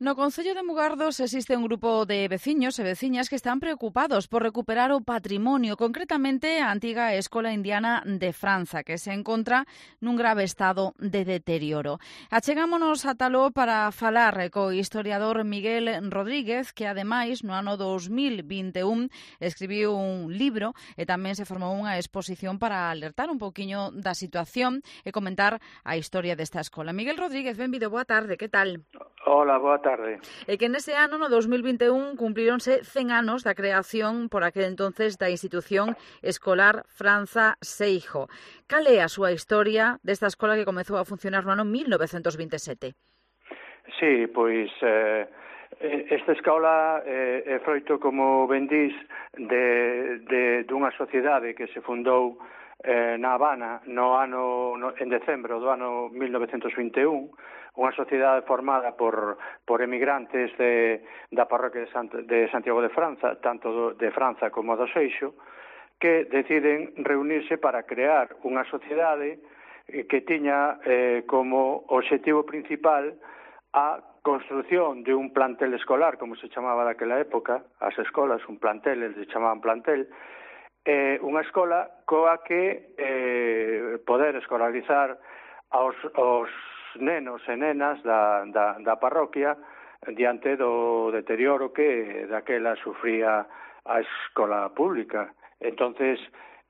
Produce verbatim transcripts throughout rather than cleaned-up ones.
No concello de Mugardos existe un grupo de veciños e veciñas que están preocupados por recuperar o patrimonio, concretamente a antiga Escola Indiana de Franza, que se encontra nun grave estado de deterioro. Achegámonos a Taló para falar co historiador Miguel Rodríguez, que ademais no ano dos mil vinte e un escribiu un libro e tamén se formou unha exposición para alertar un poquinho da situación e comentar a historia desta escola. Miguel Rodríguez, benvido, boa tarde, que tal? Hola, boa tarde. E que nese ano, no dos mil vinte e un, cumplíronse cen anos da creación por aquel entonces da institución escolar Franza Seijo. Cal é a súa historia desta escola que comezou a funcionar no ano mil novecentos vinte e sete? Sí, pois eh, esta escola eh, é froito, como ben dís, de, de, dunha sociedade que se fundou eh, na Habana no ano, no, en decembro do ano mil novecentos vinte e un, unha sociedade formada por, por emigrantes de, da parroquia de, Sant, de Santiago de Franza, tanto do, de Franza como do Seixo, que deciden reunirse para crear unha sociedade que tiña eh, como objetivo principal a construción de un plantel escolar, como se chamaba daquela época, as escolas, un plantel, eles se chamaban plantel, eh, unha escola coa que eh, poder escolarizar aos, aos nenos e nenas da, da, da parroquia diante do deterioro que daquela sufría a escola pública. Entonces,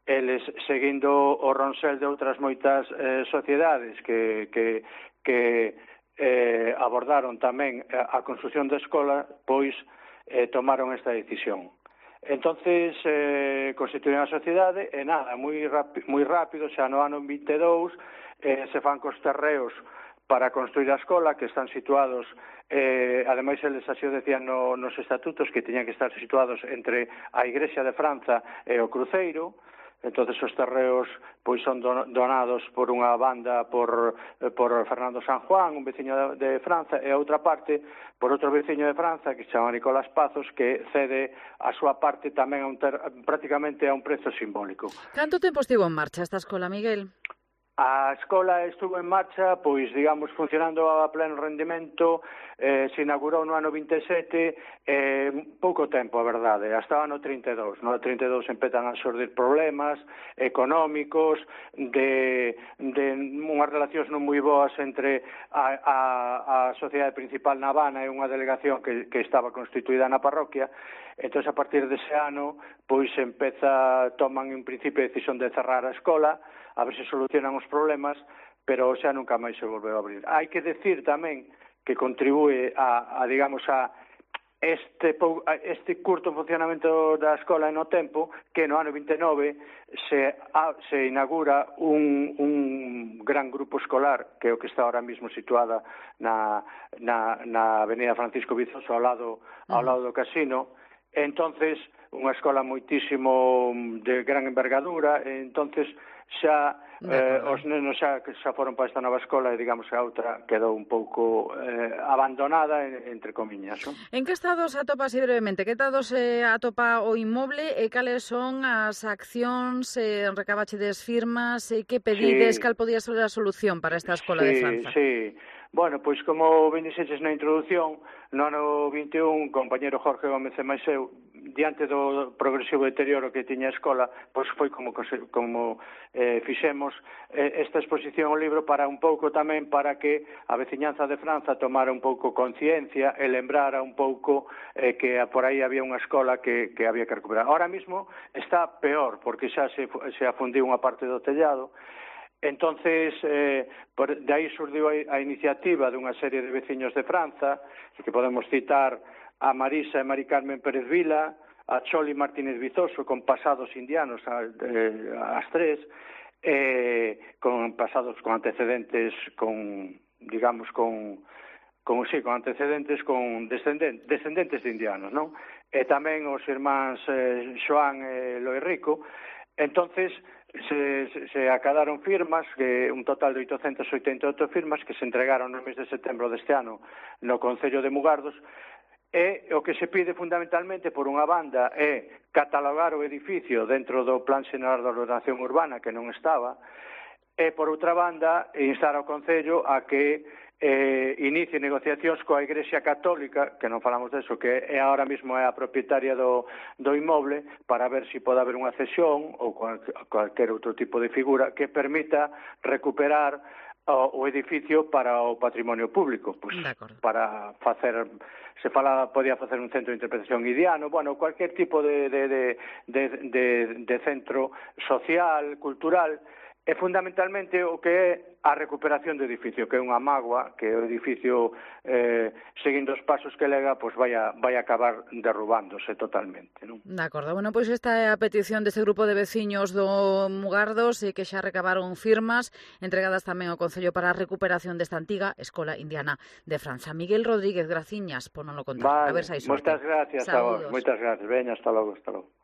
eles, seguindo o ronsel de outras moitas eh, sociedades que, que, que eh, abordaron tamén a construción da escola, pois eh, tomaron esta decisión. Entonces, eh, constituíron a sociedade e nada, moi, rapi, moi rápido, xa no ano vinte e dous, eh, se fan cos terreos para construir a escola, que están situados, eh, ademais eles así o decían no, nos estatutos, que teñan que estar situados entre a Igrexa de Franza e o Cruceiro. Entonces os terreos pois son donados por unha banda por, por Fernando San Juan, un veciño de, de Franza, e a outra parte por outro veciño de Franza que se chama Nicolás Pazos, que cede a súa parte tamén a un ter, prácticamente a un prezo simbólico. Canto tempo estivo en marcha esta escola, Miguel? A escola estuvo en marcha, pois, digamos, funcionando a pleno rendimento, eh, se inaugurou no ano vinte e sete, eh, pouco tempo, a verdade, hasta o ano trinta e dous. No trinta e dous empezan a xurdir problemas económicos, de, de unhas relacións non moi boas entre a, a, a sociedade principal na Habana e unha delegación que, que estaba constituída na parroquia. Entón, a partir dese ano, pois, empeza, toman en principio a decisión de cerrar a escola, a ver se solucionan os problemas, pero xa nunca máis se volveu a abrir. Hai que decir tamén que contribúe a, a digamos, a este, a este curto funcionamento da escola no tempo, que no ano vinte e nove se, a, se inaugura un, un gran grupo escolar, que é o que está ahora mismo situada na, na, na avenida Francisco Vizoso, ao lado, ao lado do casino. Entonces, unha escola moitísimo de gran envergadura, entonces xa eh, os nenos xa que xa foron para esta nova escola e digamos que a outra quedou un pouco eh, abandonada entre comiñas, non? En que estado se atopa, así brevemente, que estado se atopa o inmoble e cales son as accións, eh, recabachedes firmas e que pedides, sí. Cal podía ser a solución para esta escola sí, de Franza? Sí, bueno, pois como ben dixeches na introducción, no ano vinte e un, compañero Jorge Gómez e máis eu, diante do progresivo deterioro que tiña a escola, pois foi como, como eh, fixemos eh, esta exposición ao libro para un pouco tamén para que a veciñanza de Franza tomara un pouco conciencia e lembrara un pouco eh, que por aí había unha escola que, que había que recuperar. Ahora mismo está peor, porque xa se, se afundiu unha parte do tellado. Entonces, eh, por, de aí surdiu a, a iniciativa dunha serie de veciños de Franza, que podemos citar a Marisa e Mari Carmen Pérez Vila, a Choli Martínez Vizoso, con pasados indianos, a, eh, as tres, eh, con pasados, con antecedentes, con, digamos, con, con, sí, con antecedentes, con descendentes, descendentes de indianos, non? E tamén os irmáns eh, Xoán e Loi Rico. Entonces, se, se, se acadaron firmas, que un total de oitocentas oitenta e oito firmas que se entregaron no mes de setembro deste ano no Concello de Mugardos, e o que se pide fundamentalmente por unha banda é catalogar o edificio dentro do Plan Xeral de Ordenación Urbana, que non estaba, e por outra banda instar ao Concello a que eh, inicie negociacións coa Igrexa Católica, que non falamos deso, que é ahora mesmo é a propietaria do, do inmoble, para ver se pode haber unha cesión ou cual, cualquier outro tipo de figura que permita recuperar o, o edificio para o patrimonio público, pues, para facer, se fala, podía facer un centro de interpretación idiano, bueno, cualquier tipo de, de, de, de, de, de centro social, cultural, e fundamentalmente o que é a recuperación do edificio, que é unha mágoa, que o edificio, eh, seguindo os pasos que lega, pois vai a, vai a acabar derrubándose totalmente, non? De acordo. Bueno, pois esta é a petición deste grupo de veciños do Mugardos e que xa recabaron firmas entregadas tamén ao Concello para a recuperación desta antiga Escola Indiana de Francia. Miguel Rodríguez, graciñas por non lo contar. Vale, a ver se hai sorte. Moitas gracias a vos, moitas gracias. Veña, hasta logo, hasta logo.